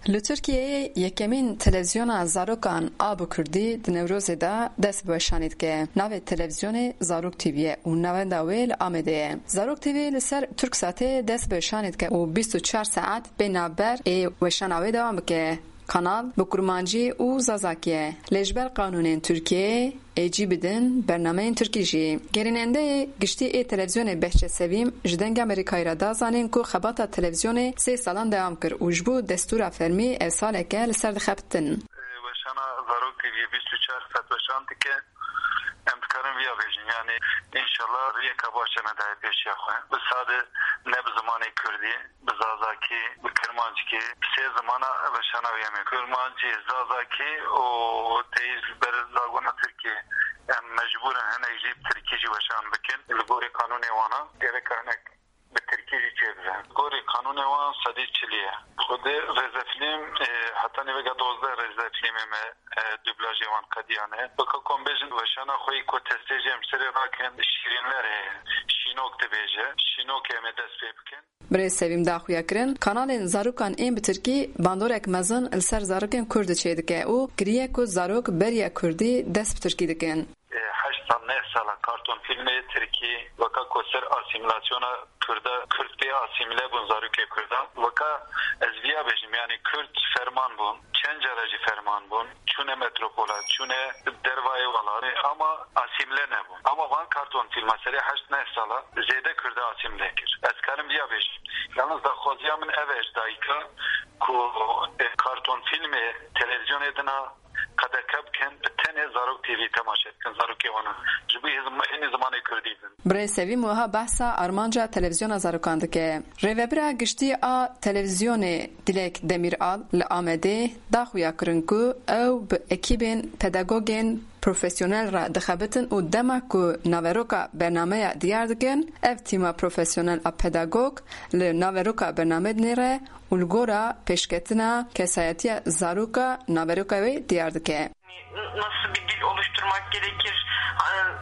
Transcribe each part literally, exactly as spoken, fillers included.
Li Tirkiyeyê yekemîn televîzyona zarokan a bi kurdî di Newrozê de dest bi weşanê dike. Navê televîzyonê Zarok T V ye û navenda wê li Amedê ye. Zarok T V li ser Turksatê dest bi weşanê dike û bîst û çar saet bê navber ê weşana wê dewam bike. Kanal bi kurmancî û zazakî ye. Lê ji ber qanûnên Tirkiyeyê ê cî bidin bernameyên tirkî jî. Gerînendeyê giştî ê televîzyonê Behçet Sevîm ji Dengê Amerîkayê re da zanîn ku xebata televîzyonê sê salan dewam kir û ji bo destûra fermî ev saleke li ser dixebitin. Weşana Zarok T V'yê bîst û çar saet weşan dike. Em dikarin viya bêjin, yanî înşallah riyeka baş e me daye pêşiya xwe. Bi sade ne bi zimanê kurdî, bi zazakî, bi kirmanckî, bi sê zimana weşana wî em ê. Kirmancî, zazakî û teyî ji ber zagona tirkî em mecbûr in hinek jî bi tirkî jî weşan bikin. Li gorî qanûnê wana gereka hinek bi tirkî jî çêbibe. Gorî qanûnê wan sedî çilî ye. Xwedê rêzefîlm, e, heta nîveka dozdeh rêzefîlmê me, e, dublajê wan qediyane. Weke ku em bêjin weşana xwe yî ku testê jî em ji serê rakin, Şîrînler heye. Şînok dibêje. Şînokê em ê dest pê bikin. Birêz Sevîm da xuya kirin, kanalên zarokan ên bi tirkî bandorek mezin li ser zarokên kurd çêdike û kiriye ku zarok beriya kurdî dest bi tirkî dikin. E, heşt sal, neh sala karton fîlmê tirkî weka ku ser asîmîlasyona kurda, kurd pê asîmîle bûn, zarokê kurda. Weka ez viya bêjim, yanî kurd ferman bûn, çend cara jî ferman bûn, çûne metropola, çûne dervayê welatê, ama asîmîle nebûn. Ama van karton fîlma serê heşt neh sala zêde kurda asîmîle kir. Ez karim viya bêjim. Yalnız daxwaziya min ev e ji dayika ku, e, karton fîlmê televîzyonê dina qedeke bikin, bi tenê Zarok T V temaşe bikin, zarokê wan in. Ji bo hêz-, hênî zimanê kurdî bin. Birêz Sevîm wiha behsa armanca televîzyona zarokan dike. Rêvebira giştî a televîzyonê Dilek Demîral li Amedê da xuya kirin ku ew bi ekîbên pedagogên profesyonel re dixebitin û dema ku naveroka bernameya diyar dikin, ev tîma profesyonel a pedagog li naveroka bernamê dinêre û li gora pêşketina kesayetiya zaroka naveroka wê diyar dike. Nasıl bir dil oluşturmak gerekir,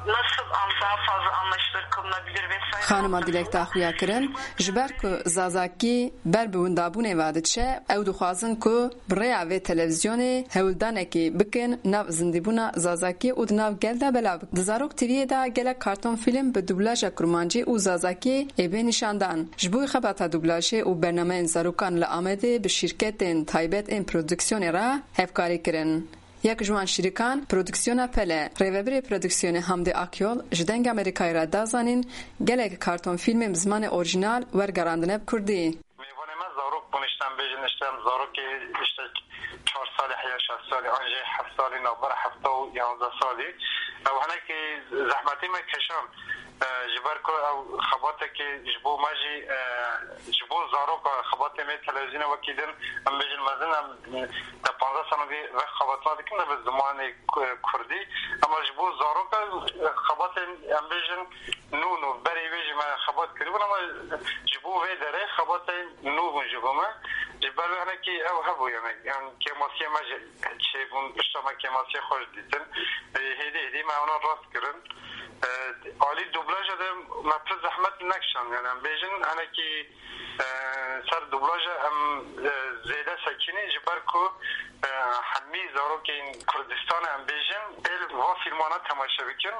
nasıl an-, daha fazla anlaşılır kılınabilir vesaire. Xanima Dilek da xuya kirin, ji ber ku zazakî ber bi windabûnê ve diçe, ew dixwazin ku bi rêya vê televîzyonê hewldanekî bikin nav zindîbûna zazakî û di nav gel de belav bikin. Di Zarok T V'yê de gelek karton fîlm bi dublaja kurmancî û zazakî ê bê nîşandan. Ji bo xebata dublajê û bernameyên zarokan li Amedê bi şîrketên taybet ên prodîksiyonê re hevkarî kirin. Yek ji wan şîrîkan prodîksiyona Pele. Rêvebirê prodîksiyonê Hamdi Akyol ji Dengê Amerîkayê re da zanîn, gelek karton fîlmên bi zimanê orîjinal wergerandine bi kurdî. Mêvanê me zarok bûn, îşte em bêjin, îşte em zarokê, îşte çar salî heya, şeş salî, an jî heft salî, navbera hefta û yanzdeh salî. Ew hinekî zehmetî me keşand. E, ji ber ku ew xebatekê ji bo me jî, e, ji bo zaroka xebatê me televîzyonê wekî din, em bêjin mezin, em te panzdeh sal vê ve xebatna dikin, ne bi zimanê ku-, kurdî. Ama ji bo zaroka, e, xebatên, em bêjin, nû nû, berê wê jî me xebat kiribûn, ama ji bo vê derê xebatên nû bûn ji bo me. Ji ber wê hinekî ew hebû, yani, em kêmasiyê me jî çêbûn, pişta me kêmasiyê xwe jî dîtin. E, hêdî hêdî me wana rast kirin. E, alî dublaja de me pir zehmet nekişand. Yani em bêjin hinekî, e, ser dublaja em, e, zêde sekînî, ji ber ku, e, hemî zarokên Kurdistanê em bêjin ê li va fîlmana temaşe bikin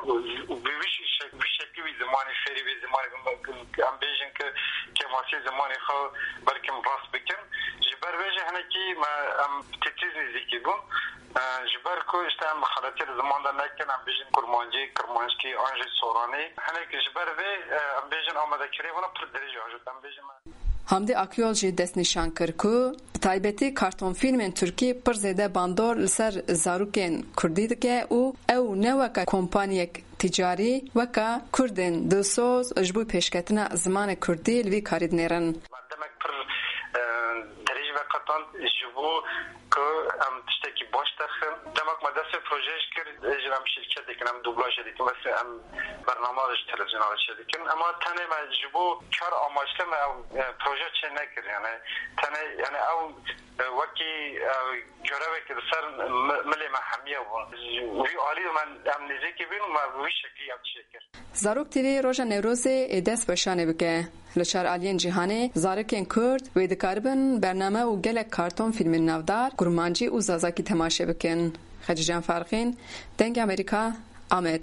û bi wî şek-, wî şeklî wî zimanê fêrî wî zimanê em bêjin ki kêmasî zimanê xwe belkim rast bikin. Ji ber vê jî hinekî me em titiz nêzîkî bûn. E, ji ber ku, işte, em xeletiyê li ziman de nekin, em bêjin kurmancî, kirmanckî, an jî soranî. Hinek ji ber vê, e, em bêjin amadekirê wana pir dirêj e, an jî em bêjin me. Hamdi Akyol jî destnîşan kir ku bi taybetî kartonfîlmên tirkî pir zêde bandor li ser zarokên kurdî dike û ew ne weke kompaniyek tîcarî, weke kurdên dilsoz ji bo pêşketina zimanê kurdî li vî karî dinêrin. Demek pir, e, dirêj veqetand ji bo ku em tiştekî baş derxin. Demek me dest pê projeyê jî kir, ê jî em şîrketek in, em dublajê dikin, mesela em bername ji televîzyona re çêdikin. Ema tenê me ji bo kar amaçli me ew, e, proje çê nekir. Yani tenê, yani ew, e, wekî, e, görevek li ser mi-, milê me hemiye bûn. Wî alî me em nêzîkî bîn û me wî şeklî em çêkir. Zarok T V roja Newrozê ê dest weşanê bike. Li çar aliyên cîhanê zarokên Kurd wê dikaribin bername û gelek karton fîlmên navdar, kurmancî û zazakî temaşe bikin. Xecîcan Farqîn, Dengê Amerîka, Amed.